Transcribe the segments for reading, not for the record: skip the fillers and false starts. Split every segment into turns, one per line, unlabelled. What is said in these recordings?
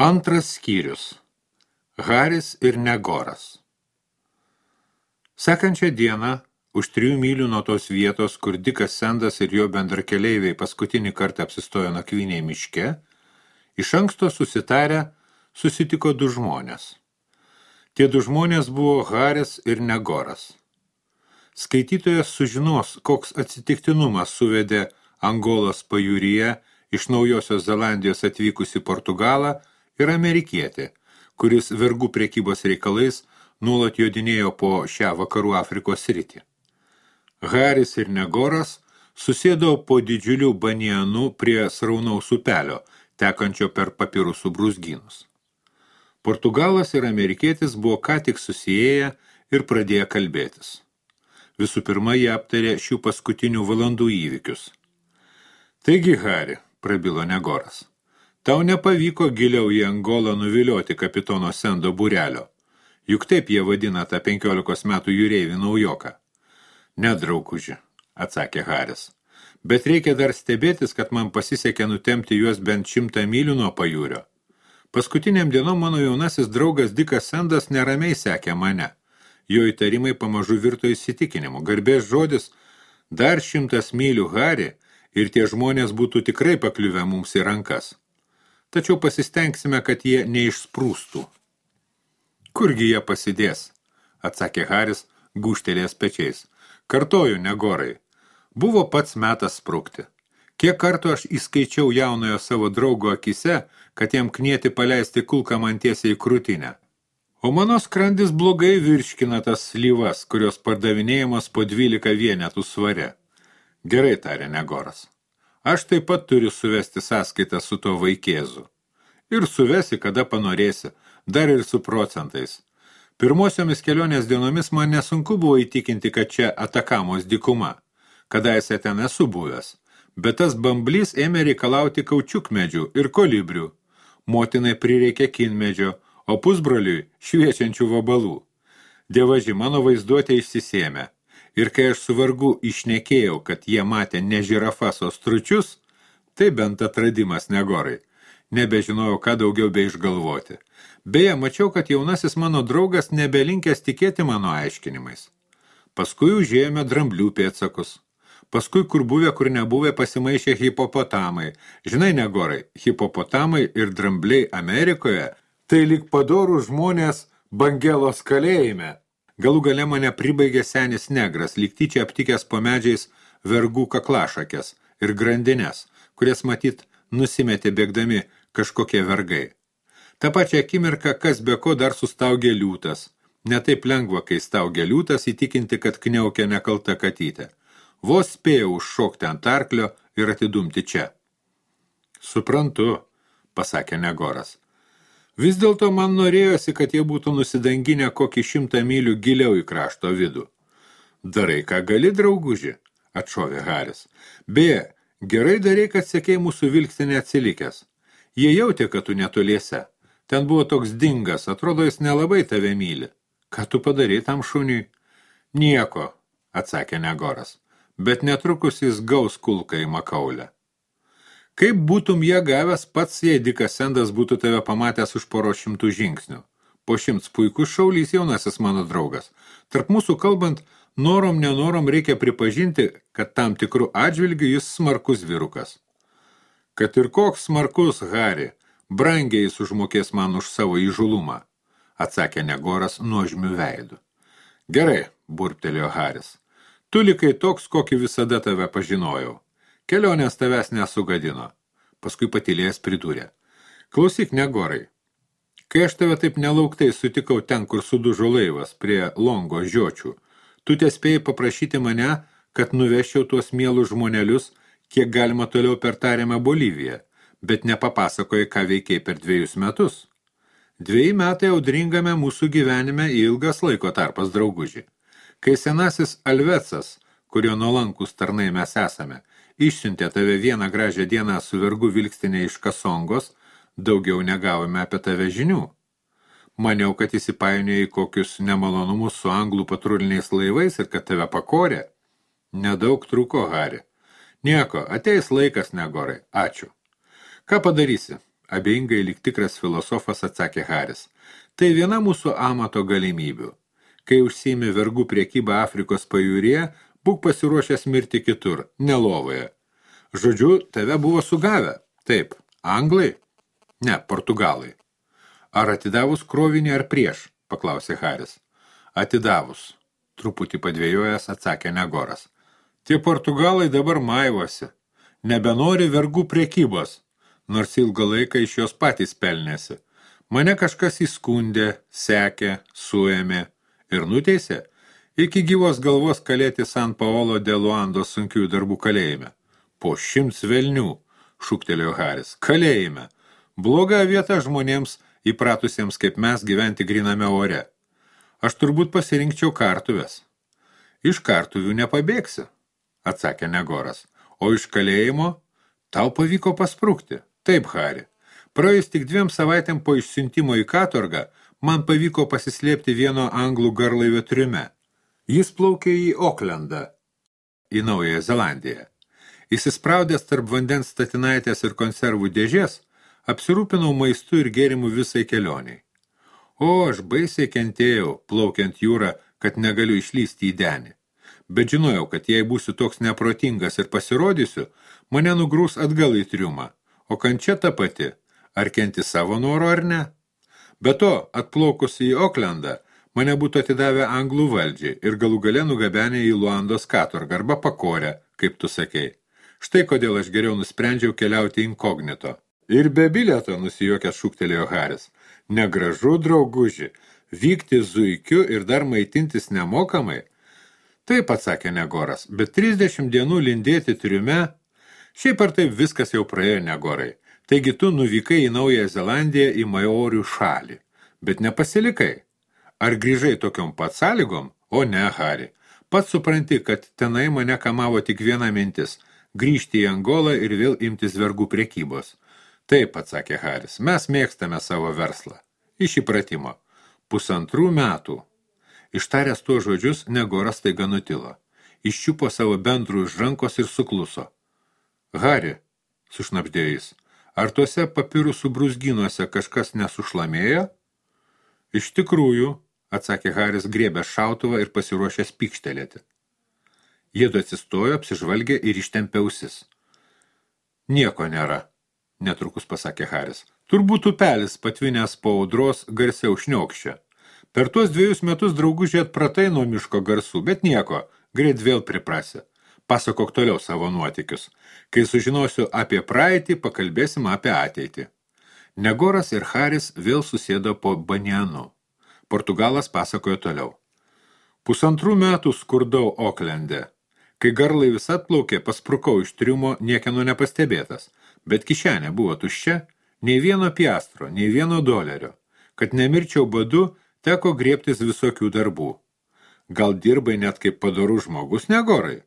Antras skyrius. Haris ir Negoras. Sekančią dieną, už 3 mylių nuo tos vietos, kur Dikas Sendas ir jo bendrakeleiviai paskutinį kartą apsistojo nakvynėje miške, iš anksto susitarę susitiko 2 žmonės. Tie 2 žmonės buvo Haris ir Negoras. Skaitytojas sužinos, koks atsitiktinumas suvedė Angolos pajūryje iš Naujosios Zelandijos atvykusi Portugalą ir amerikietį, kuris vergų prekybos reikalais nuolat jodinėjo po šią vakarų Afrikos sritį. Haris ir Negoras susėdo po didžiulių banianų prie sraunaus upelio, tekančio per papirusų brūzgynus. Portugalas ir amerikietis buvo ką tik susiėję ir pradėjo kalbėtis. Visų pirma, jie aptarė šių paskutinių valandų įvykius. Taigi, Hari, prabilo Negoras, tau nepavyko giliau į Angolą nuvilioti kapitono Sendo būrelio. Juk taip jie vadina tą 15 metų jūreivį naujoką. Ne, drauguži, atsakė Haris, bet reikia dar stebėtis, kad man pasisekė nutemti juos bent 100 mylių nuo pajūrio. Paskutiniam dienom mano jaunasis draugas Dikas Sendas neramiai sekė mane. Jo įtarimai pamažu virto įsitikinimu. Garbės žodis, dar 100 mylių, Hari, ir tie žmonės būtų tikrai pakliuvę mums į rankas. Tačiau pasistengsime, kad jie neišsprūstų. Kurgi jie pasidės, atsakė Haris, gūžtelėjęs pečiais. Kartoju, Negorai, buvo pats metas sprukti. Kiek kartų aš įskaičiau jaunojo savo draugo akise, kad jam knieti paleisti kulką man tiesiai į krūtinę. O mano skrandis blogai virškina tas slyvas, kurios pardavinėjimas po 12 vienetų svare. Gerai, tarė Negoras. Aš taip pat turiu suvesti sąskaitą su to vaikėzu. Ir suvesi, kada panorėsi, dar ir su procentais. Pirmosiomis kelionės dienomis man nesunku buvo įtikinti, kad čia Atakamos dykuma. Kadaise ten esu buvęs. Bet tas bamblys ėmė reikalauti kaučiukmedžių ir kolibrių. Motinai prireikė kinmedžio, o pusbroliui šviečiančių vabalų. Dievaži, mano vaizduotė išsisėmė. Ir kai aš su vargu išnekėjau, kad jie matė ne žirafas, o stručius, tai bent atradimas, Negorai. Nebežinojau, ką daugiau beišgalvoti. Beje, mačiau, kad jaunasis mano draugas nebelinkęs tikėti mano aiškinimais. Paskui užėjome dramblių pėdsakus. Paskui, kur buvę, kur nebuvę, pasimaišė hipopotamai. Žinai, Negorai, hipopotamai ir drambliai Amerikoje tai lyg padorų žmonės Bangelos kalėjime. Galų gale mane pribaigė senis negras, lyg tyčia aptikęs po medžiais vergų kaklašakės ir grandines, kurias matyt nusimetė bėgdami kažkokie vergai. Ta pačia akimirką, kas be ko dar sustaugė liūtas. Ne taip lengva, kai staugė liūtas, įtikinti, kad kniaukia nekalta katytė. Vos spėjau užšokti ant arklio ir atidumti čia. Suprantu, pasakė Negoras. Vis dėlto man norėjosi, kad jie būtų nusidanginę kokį 100 mylių giliau į krašto vidų. Darai, ką gali, drauguži, atšovė Haris. Beje, gerai darai, kad sekei mūsų vilkstinę atsilikęs. Jie jautė, kad tu netoliese. Ten buvo toks dingas, atrodo, jis nelabai tave myli. Ką tu padarei tam šuniui? Nieko, atsakė Negoras, bet netrukus jis gaus kulką į makaulę. Kaip būtum ją gavęs pats, jei Dikas Sendas būtų tave pamatęs už 100 žingsnių. Po 100 puikus šaulys jaunasis mano draugas. Tarp mūsų kalbant, norom nenorom reikia pripažinti, kad tam tikrų atžvilgių jis smarkus vyrukas. Kad ir koks smarkus, Hari, brangiai jis užmokės man už savo įžulumą, atsakė Negoras nuožmiu veidu. Gerai, burbtelėjo Haris. Tu likai toks, kokį visada tave pažinojau. Kelionės tavęs nesugadino. Paskui patylėjęs pridūrė. Klausyk, Negorai, kai aš tave taip nelauktai sutikau ten, kur sudužo laivas prie Longo žiočių, tu tespėjai paprašyti mane, kad nuvežčiau tuos mielus žmonelius, kiek galima toliau per tariamą Boliviją, bet nepapasakojai, ką veikiai per 2 metus. 2 metai audringame mūsų gyvenime ilgas laiko tarpas, drauguži. Kai senasis Alvecas, kurio nuolankus tarnai mes esame, išsiuntė tave vieną gražią dieną su vergu vilkstinė iš Kasongos, daugiau negavome apie tave žinių. Maniau, kad įsipainiojo į kokius nemalonumus su anglų patruliniais laivais ir kad tave pakorė. Nedaug trūko, Hari. Nieko, ateis laikas, Negorai, ačiū. Ką padarysi? abejingai lyg tikras filosofas atsakė Haris. Tai viena mūsų amato galimybių. Kai užsiimi vergų priekybą Afrikos pajūryje, būk pasiruošęs mirti kitur, ne lovoje. Žodžiu, tave buvo sugavę. Taip, anglai? Ne, portugalai. Ar atidavus krovinį ar prieš? Paklausė Haris. Atidavus. Truputį padvėjojęs atsakė Negoras. Tie portugalai dabar maivosi. Nebenori vergų priekybos, nors ilgą laiką iš jos patys pelnėsi. Mane kažkas įskundė, sekė, suėmė ir nuteisė iki gyvos galvos kalėti San Paolo de Luandos sunkiųjų darbų kalėjime. Po 100 velnių, šūktelėjo Haris, kalėjime. Bloga vieta žmonėms įpratusiems kaip mes gyventi griname ore. Aš turbūt pasirinkčiau kartuves. Iš kartuvių nepabėgsi, atsakė Negoras. O iš kalėjimo tau pavyko pasprukti. Taip, Hari. Praėjus tik 2 savaitėm po išsiuntimo į katorgą, man pavyko pasislėpti vieno anglų garlaivio triume. Jis plaukė į Oklendą, į Naująją Zelandiją. Įsispraudęs tarp vandens statinaitės ir konservų dėžės, apsirūpinau maistu ir gėrimu visai kelioniai. O, aš baisiai kentėjau, plaukiant jūrą, kad negaliu išlysti į denį. Bet žinojau, kad jei būsiu toks neprotingas ir pasirodysiu, mane nugrūs atgal į triumą. O kančia ta pati, ar kenti savo noro ar ne? Be to, atplaukus į Oklendą, mane būtų atidavę anglų valdžiai ir galų gale nugabenę į Luandos katorgą arba pakorę, kaip tu sakei. Štai kodėl aš geriau nusprendžiau keliauti inkognito. Ir be bilieto, nusijuokęs šūktelėjo Haris. Negražu, drauguži, vykti zuikiu ir dar maitintis nemokamai? Taip, atsakė Negoras, bet 30 dienų lindėti triume, šiaip ar taip viskas jau praėjo, Negorai. Taigi tu nuvykai į Naująją Zelandiją į Maorių šalį, bet nepasilikai. Ar grįžai tokiom pat sąlygom? O ne, Hari. Pats supranti, kad tenai mane kamavo tik viena mintis – grįžti į Angolą ir vėl imtis vergų priekybos. Taip, atsakė Haris, mes mėgstame savo verslą. Iš įpratimo. 1,5 metų. Ištaręs tuo žodžius, Negoras staiga nutilo. Iščiupo savo bendrų iš rankos ir sukluso. Hari, sušnabždėjo jis, ar tuose papirusų brūzgynuose kažkas nesušlamėjo? Iš tikrųjų, atsakė Haris, griebęs šautuvą ir pasiruošęs pykštelėti. Jiedu atsistojo, apsižvalgė ir ištempė ausis. Nieko nėra, netrukus pasakė Haris. Turbūt upelis patvinęs po audros garsiau šniokščia. Per tuos 2 metus draugužiai atpratai nuo miško garsų, bet nieko, greit vėl priprasi. Pasakok toliau savo nuotykius. Kai sužinosiu apie praeitį, pakalbėsim apie ateitį. Negoras ir Haris vėl susėdo po banianu. Portugalas pasakojo toliau. 1,5 metų skurdau Oklende. Kai garlaivis atplaukė, pasprukau iš triumo niekieno nepastebėtas, bet kišenė buvo tuščia, nei vieno piastro, nei vieno dolerio. Kad nemirčiau badu, teko griebtis visokių darbų. Gal dirbai net kaip padorus žmogus, Negorai?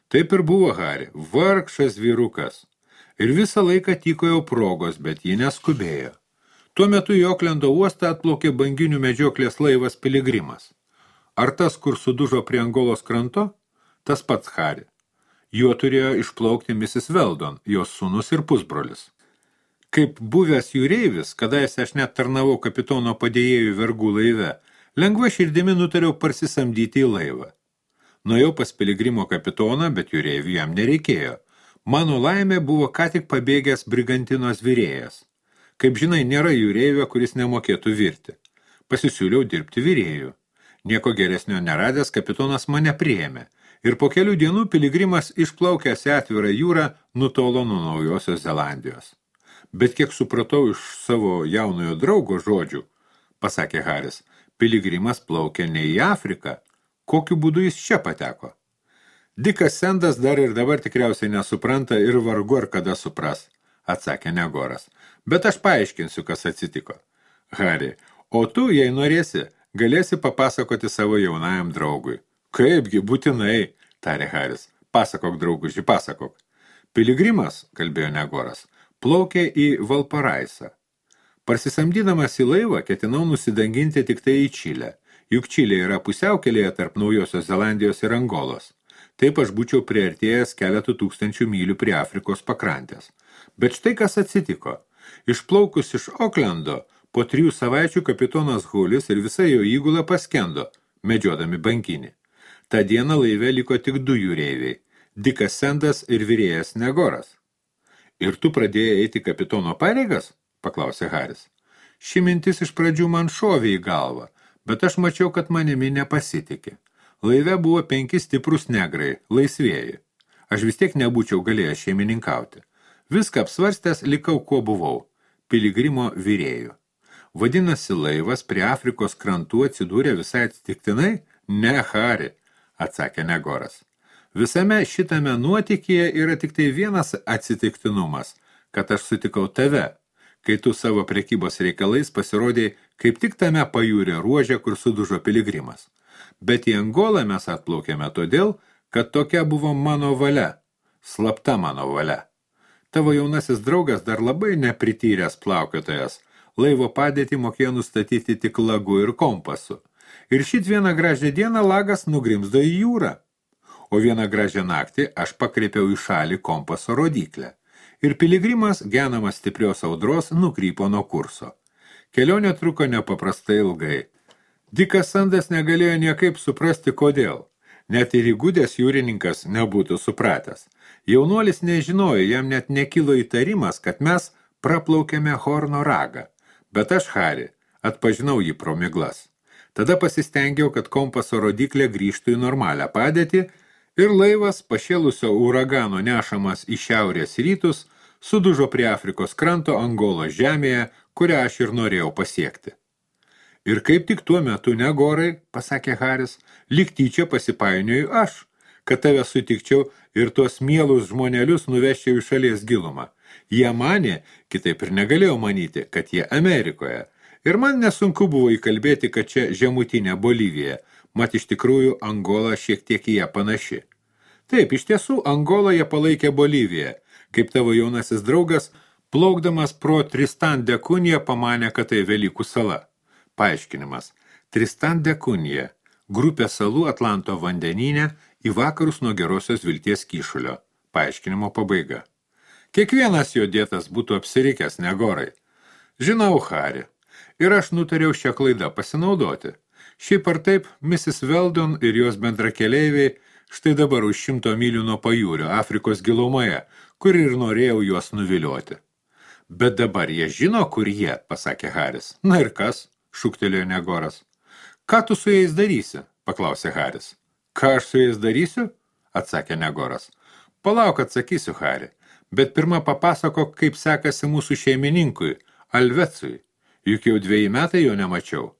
Taip ir buvo Hari, vargšas vyrukas. Ir visą laiką tykojo progos, bet ji neskubėjo. Tuo metu į Oklendo uostą atplaukė banginių medžioklės laivas Piligrimas. Ar tas, kur sudužo prie Angolos kranto? Tas pats Hari. Juo turėjo išplaukti Mrs. Weldon, jos sūnus ir pusbrolis. Kaip buvęs jūreivis, kadaise aš net tarnavau kapitono padėjėjų vergų laive, lengva širdimi nutariau parsisamdyti į laivą. Nuėjau pas Piligrimo kapitoną, bet jūreivių jam nereikėjo. Mano laimė buvo ką tik pabėgęs brigantinos virėjas. Kaip žinai, nėra jūreivio, kuris nemokėtų virti. Pasisiūliau dirbti virėjų. Nieko geresnio neradęs, kapitonas mane priėmė. Ir po kelių dienų Piligrimas išplaukęs į atvirą jūrą nutolo nuo Naujosios Zelandijos. Bet kiek supratau iš savo jaunojo draugo žodžių, pasakė Haris, Piligrimas plaukė ne į Afriką. Kokiu būdu jis čia pateko? Dikas Sendas dar ir dabar tikriausiai nesupranta ir vargu ar kada supras, atsakė Negoras. Bet aš paaiškinsiu, kas atsitiko. Hari, o tu, jei norėsi, galėsi papasakoti savo jaunajam draugui. Kaipgi, būtinai, tarė Haris. Pasakok, drauguži, pasakok. Piligrimas, kalbėjo Negoras, plaukė į Valparaisą. Parsisamdydamas į laivą, ketinau nusidanginti tik tai į Čilę. Juk Čilė yra pusiaukelėje tarp Naujosios Zelandijos ir Angolos. Taip aš būčiau priartėjęs keletų tūkstančių mylių prie Afrikos pakrantės. Bet štai kas atsitiko. Išplaukus iš Oklendo, po 3 savaičių kapitonas Hulis ir visa jo įgula paskendo, medžiodami bankinį. Ta diena laive liko tik 2 jūreiviai – Dikas Sendas ir virėjas Negoras. Ir tu pradėjai eiti kapitono pareigas? Paklausė Haris. Ši mintis iš pradžių man šovė į galvą, bet aš mačiau, kad manimi nepasitikė. Laive buvo 5 stiprus negrai, laisvieji. Aš vis tiek nebūčiau galėjęs šeimininkauti. Viską apsvarstęs likau, kuo buvau – piligrimo virėjų. Vadinasi, laivas prie Afrikos krantų atsidūrė visai atsitiktinai? Ne, Hari, atsakė Negoras. Visame šitame nuotykyje yra tik tai vienas atsitiktinumas, kad aš sutikau tave, kai tu savo prekybos reikalais pasirodėjai kaip tik tame pajūrio ruože, kur sudužo piligrimas. Bet į Angolą mes atplaukėme todėl, kad tokia buvo mano valia, slapta mano valia. Tavo jaunasis draugas dar labai neprityręs plaukiotojas, laivo padėtį mokėjo nustatyti tik lagu ir kompasu. Ir šit vieną gražią dieną lagas nugrimzdo į jūrą. O vieną gražią naktį aš pakreipiau į šalį kompaso rodyklę. Ir piligrimas, genamas stiprios audros, nukrypo nuo kurso. Kelionė truko nepaprastai ilgai. Dikas Sandas negalėjo niekaip suprasti, kodėl. Net ir įgudęs jūrininkas nebūtų supratęs. Jaunuolis nežinojo, jam net nekilo įtarimas, kad mes praplaukėme Horno ragą. Bet aš, Hari, atpažinau jį pro miglas. Tada pasistengiau, kad kompaso rodyklė grįžtų į normalią padėtį ir laivas, pašėlusio uragano nešamas į šiaurės rytus, sudužo prie Afrikos kranto Angolos žemėje, kurią aš ir norėjau pasiekti. Ir kaip tik tuo metu, Negorai, pasakė Haris, lyg tyčia pasipainioju aš, kad tave sutikčiau ir tuos mielus žmonelius nuveščiau į šalies gilumą. Jie manė, kitaip ir negalėjau manyti, kad jie Amerikoje. Ir man nesunku buvo įkalbėti, kad čia žemutinė Bolivija, mat iš tikrųjų Angola šiek tiek į ją panaši. Taip, iš tiesų, Angoloje palaikė Boliviją, kaip tavo jaunasis draugas, plaukdamas pro Tristan de Cunha pamanė, kad tai Velykų sala. Paaiškinimas. Tristan de Cunha, grupė salų Atlanto vandenyne į vakarus nuo Gerosios Vilties kyšulio. Paaiškinimo pabaiga. Kiekvienas jo dėtas būtų apsirikęs, Negorai. Žinau, Hari. Ir aš nutariau šią klaidą pasinaudoti. Šiaip ar taip, Mrs. Weldon ir jos bendrakeleiviai štai dabar už 100 mylių nuo pajūrio, Afrikos gilumoje, kur ir norėjau juos nuvilioti. Bet dabar jie žino, kur jie, pasakė Haris. Na ir kas, šūktelėjo Negoras. Ką tu su jais darysi, paklausė Haris. Ką aš su jais darysiu, atsakė Negoras. Palauk, atsakysiu, Hari, bet pirma papasako, kaip sekasi mūsų šeimininkui, Alvecui. Juk jau 2 metai jo nemačiau.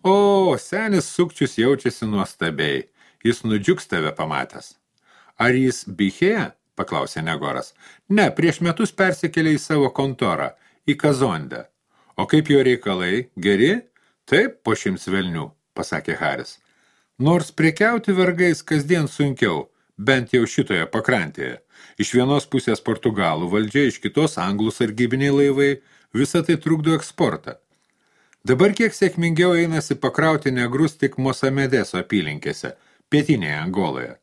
O, senis sukčius jaučiasi nuostabiai. Jis nudžiugs tave pamatęs. Ar jis Bichėje? Paklausė Negoras. Ne, prieš metus persikėlė į savo kontorą, į Kazondę. O kaip jo reikalai? Geri? Taip, po 100 velnių, pasakė Haris. Nors prekiauti vergais kasdien sunkiau, bent jau šitoje pakrantėje. Iš vienos pusės Portugalų valdžia, iš kitos anglų sargybiniai laivai, visą tai trukdo eksportą. Dabar kiek sėkmingiau einasi pakrauti negrus tik Mosamedeso apylinkėse, pietinėje Angoloje.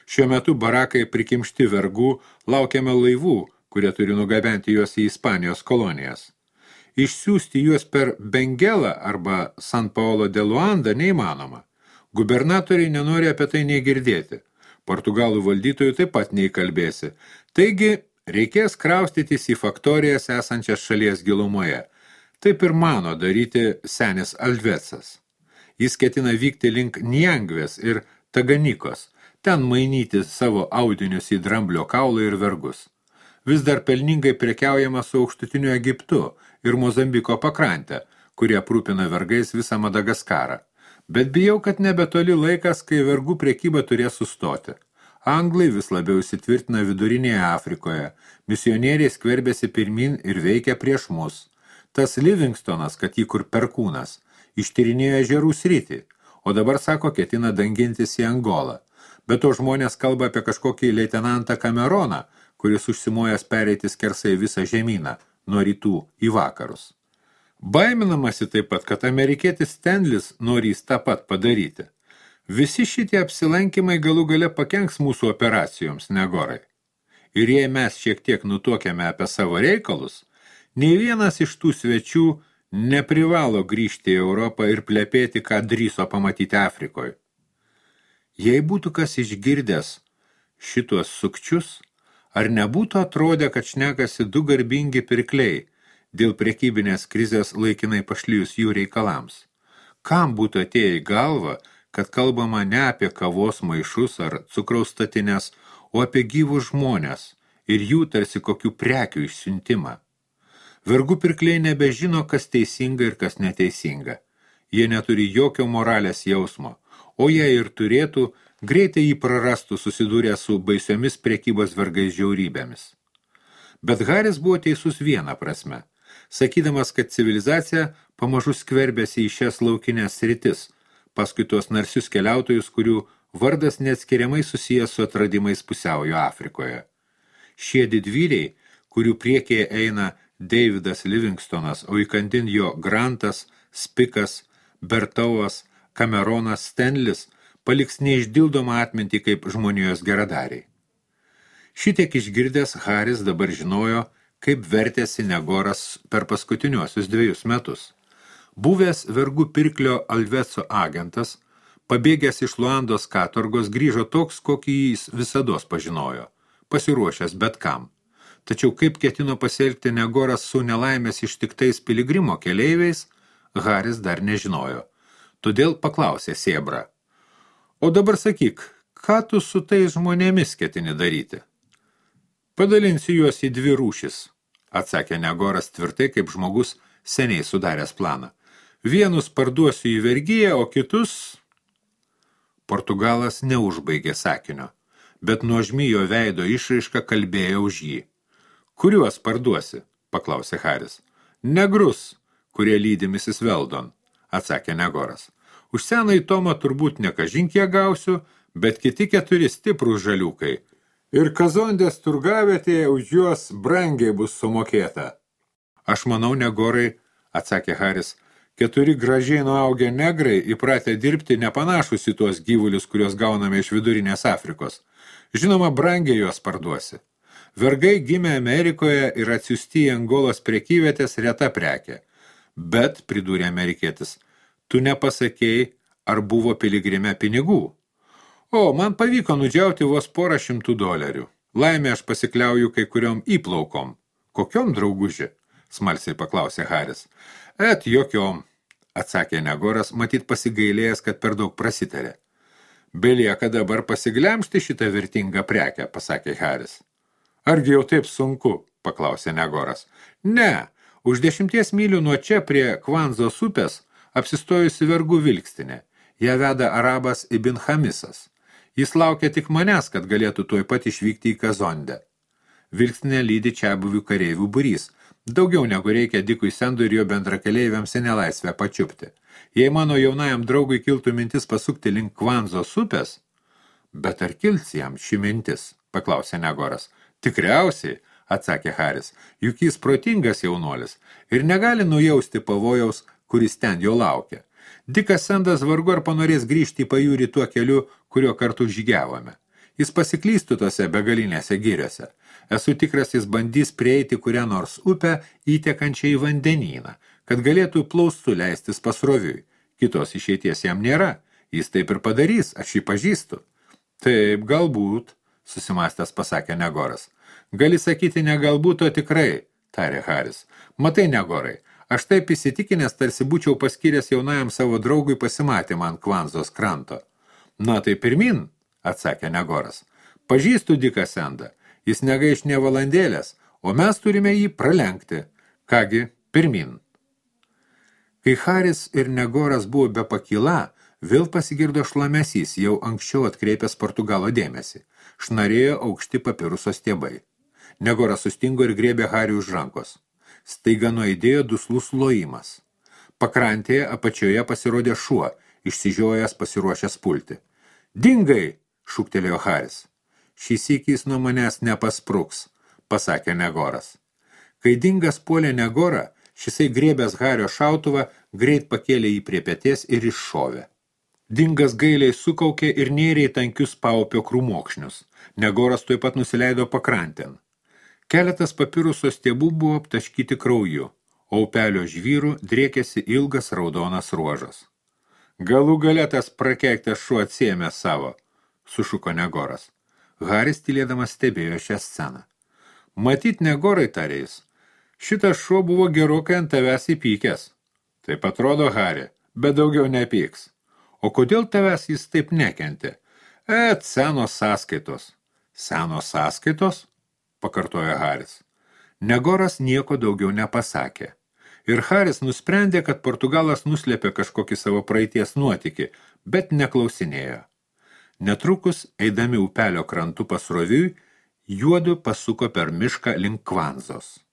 Šiuo metu barakai prikimšti vergų, laukiame laivų, kurie turi nugabenti juos į Ispanijos kolonijas. Išsiųsti juos per Bengelą arba San Paolo de Luanda neįmanoma. Gubernatoriai nenori apie tai nei girdėti. Portugalų valdytojų taip pat neįkalbėsi. Taigi, reikės kraustytis į faktorijas esančias šalies gilumoje. Taip ir mano daryti senis Alvecas. Jis ketina vykti link Niangvės ir Taganykos, ten mainyti savo audinius į dramblio kaulą ir vergus. Vis dar pelningai prekiaujama su aukštutiniu Egiptu ir Mozambiko pakrante, kurie aprūpina vergais visą Madagaskarą. Bet bijau, kad nebetoli laikas, kai vergų prekyba turės sustoti. Anglai vis labiau įsitvirtina vidurinėje Afrikoje, misionieriai skverbėsi pirmin ir veikia prieš mus. Tas Livingstonas, kad jį kur perkūnas, ištyrinėjo ežerų sritį, o dabar sako, ketina dangintis į Angolą. Bet to žmonės kalba apie kažkokį leitenantą Cameroną, kuris užsimojęs pereiti skersai visą žemyną, nuo rytų į vakarus. Baiminamasi taip pat, kad amerikietis Stanlis norys tą pat padaryti. Visi šitie apsilankymai galų gale pakenks mūsų operacijoms, Negorai. Ir jei mes šiek tiek nutuokėme apie savo reikalus, Nei vienas iš tų svečių neprivalo grįžti į Europą ir plepėti, ką drįso pamatyti Afrikoje. Jei būtų kas išgirdęs šituos sukčius, ar nebūtų atrodę, kad šnekasi du garbingi pirkliai dėl prekybinės krizės laikinai pašlijus jų reikalams? Kam būtų atėję į galvą, kad kalbama ne apie kavos maišus ar cukraus statines, o apie gyvus žmonės ir jų tarsi kokių prekių išsiuntimą? Vergų pirkliai nebežino, kas teisinga ir kas neteisinga. Jie neturi jokio moralės jausmo, o jei ir turėtų, greitai jį prarastų susidūrę su baisiomis prekybos vergais žiaurybėmis. Bet Haris buvo teisus vieną prasme, sakydamas, kad civilizacija pamažu skverbėsi į šias laukinės sritis, paskui tuos narsius keliautojus, kurių vardas neatskiriamai susijęs su atradimais pusiaujo Afrikoje. Šie didvyriai, kurių priekyje eina Davidas Livingstonas, o įkandin jo Grantas, Spikas, Bertauas, Cameronas, Stenlis, paliks neišdildomą atmintį kaip žmonijos geradariai. Šitiek išgirdęs Haris dabar žinojo, kaip vertėsi Negoras per paskutiniuosius 2 metus. Buvęs vergų pirklio Alveco agentas, pabėgęs iš Luandos katorgos, grįžo toks, kokį jis visados pažinojo, pasiruošęs bet kam. Tačiau kaip ketino pasielgti Negoras su nelaimės ištiktais piligrimo keleiviais, Haris dar nežinojo. Todėl paklausė sėbrą: "O dabar sakyk, ką tu su tais žmonėmis ketini daryti?" "Padalinsiu juos į 2 rūšis", atsakė Negoras tvirtai, kaip žmogus seniai sudaręs planą. "Vienus parduosiu į vergiją, o kitus..." Portugalas neužbaigė sakinio, bet nuožmi jo veido išraiška kalbėjo už jį. "Kuriuos parduosi?" paklausė Haris. "Negrus, kurie lydi Mrs. Weldon", atsakė Negoras. "Už senąjį Tomą turbūt ne kažin kiek gausiu, bet kiti 4 stiprūs žaliukai. Ir Kazondės turgavietėje už juos brangiai bus sumokėta." "Aš manau, Negorai", atsakė Haris, 4 gražiai nuaugę negrai įpratę dirbti nepanašus į tuos gyvulius, kuriuos gauname iš vidurinės Afrikos. Žinoma, brangiai juos parduosi. Vergai gimė Amerikoje ir atsiųsti į Angolos prekyvietės reta prekė. Bet, pridūrė amerikietis, tu nepasakei, ar buvo piligrime pinigų. "O, man pavyko nudžiauti vos $100. Laimė aš pasikliauju kai kuriom įplaukom." "Kokiom, drauguži?" smalsiai paklausė Haris. Jokiom", atsakė Negoras, matyt pasigailėjęs, kad per daug prasitarė. "Belieka dabar pasiglemšti šitą vertingą prekę", pasakė Haris. "Argi jau taip sunku?" paklausė Negoras. "Ne, už 10 mylių nuo čia prie Kvanzos upės apsistojusi vergų vilkstinė. Ją veda arabas Ibn Hamisas. Jis laukia tik manęs, kad galėtų tuoj pat išvykti į Kazondę. Vilkstinė lydi čiabuvių kareivių būrys. Daugiau negu reikia Dikui Sendui ir jo bendrakeleiviams į nelaisvę pačiupti. Jei mano jaunajam draugui kiltų mintis pasukti link Kvanzos upės..." "Bet ar kils jam ši mintis?" paklausė Negoras. "Tikriausiai", atsakė Haris, "juk jis protingas jaunuolis ir negali nujausti pavojaus, kuris ten jo laukia. Dikas Sendas vargu ar panorės grįžti į pajūrį tuo keliu, kurio kartu žygiavome. Jis pasiklystų tose begalinėse giriose. Esu tikras, jis bandys prieiti kurią nors upę įtekančią į vandenyną, kad galėtų plaustų leistis pasroviui. Kitos išeities jam nėra. Jis taip ir padarys, aš jį pažįstu." "Taip, galbūt", susimastęs pasakė Negoras. "Gali sakyti ne galbūt, o tikrai", tarė Haris. "Matai, Negorai, aš taip įsitikinęs, tarsi būčiau paskyręs jaunajam savo draugui pasimatymą ant Kvanzos kranto." "Na tai pirmin", atsakė Negoras. "Pažįstu Diką Sendą. Jis negaiš nė valandėlės, o mes turime jį pralenkti. Kągi, pirmin." Kai Haris ir Negoras buvo be pakyla, vėl pasigirdo šlamesys, jau anksčiau atkreipęs Portugalo dėmesį. Šnarėjo aukšti papiruso stiebai. Negoras sustingo ir griebė Harį už rankos. Staiga nuaidėjo duslus lojimas. Pakrantėje apačioje pasirodė šuo, išsižiojęs pasiruošęs pulti. "Dingai!" šūktelėjo Haris. "Šį sykį jis nuo manęs nepaspruks", pasakė Negoras. Kai Dingas puolė Negorą, šisai griebęs Hario šautuvą, greit pakėlė jį prie peties ir iššovė. Dingas gailiai sukaukė ir nėrė į tankius paupio krūmokšnius. Negoras tuoj pat nusileido pakrantėn. Keletas papiruso stiebų buvo aptaškyti krauju, o upelio žvyrų driekėsi ilgas raudonas ruožas. Galų gale tas prakeiktas šuo atsiėmė savo, sušuko Negoras. Haris tylėdamas stebėjo šią sceną. Matyt, Negorai, tarė jis, šitas šuo buvo gerokai ant tavęs įpykęs. Taip atrodo, Hari, bet daugiau nepyks. O kodėl tavęs jis taip nekentė? Senos sąskaitos. Senos sąskaitos? Pakartojo Haris. Negoras nieko daugiau nepasakė. Ir Haris nusprendė, kad Portugalas nuslėpė kažkokį savo praeities nuotykį, bet neklausinėjo. Netrukus, eidami upelio krantu pasroviui, juodu pasuko per mišką link Kvanzos.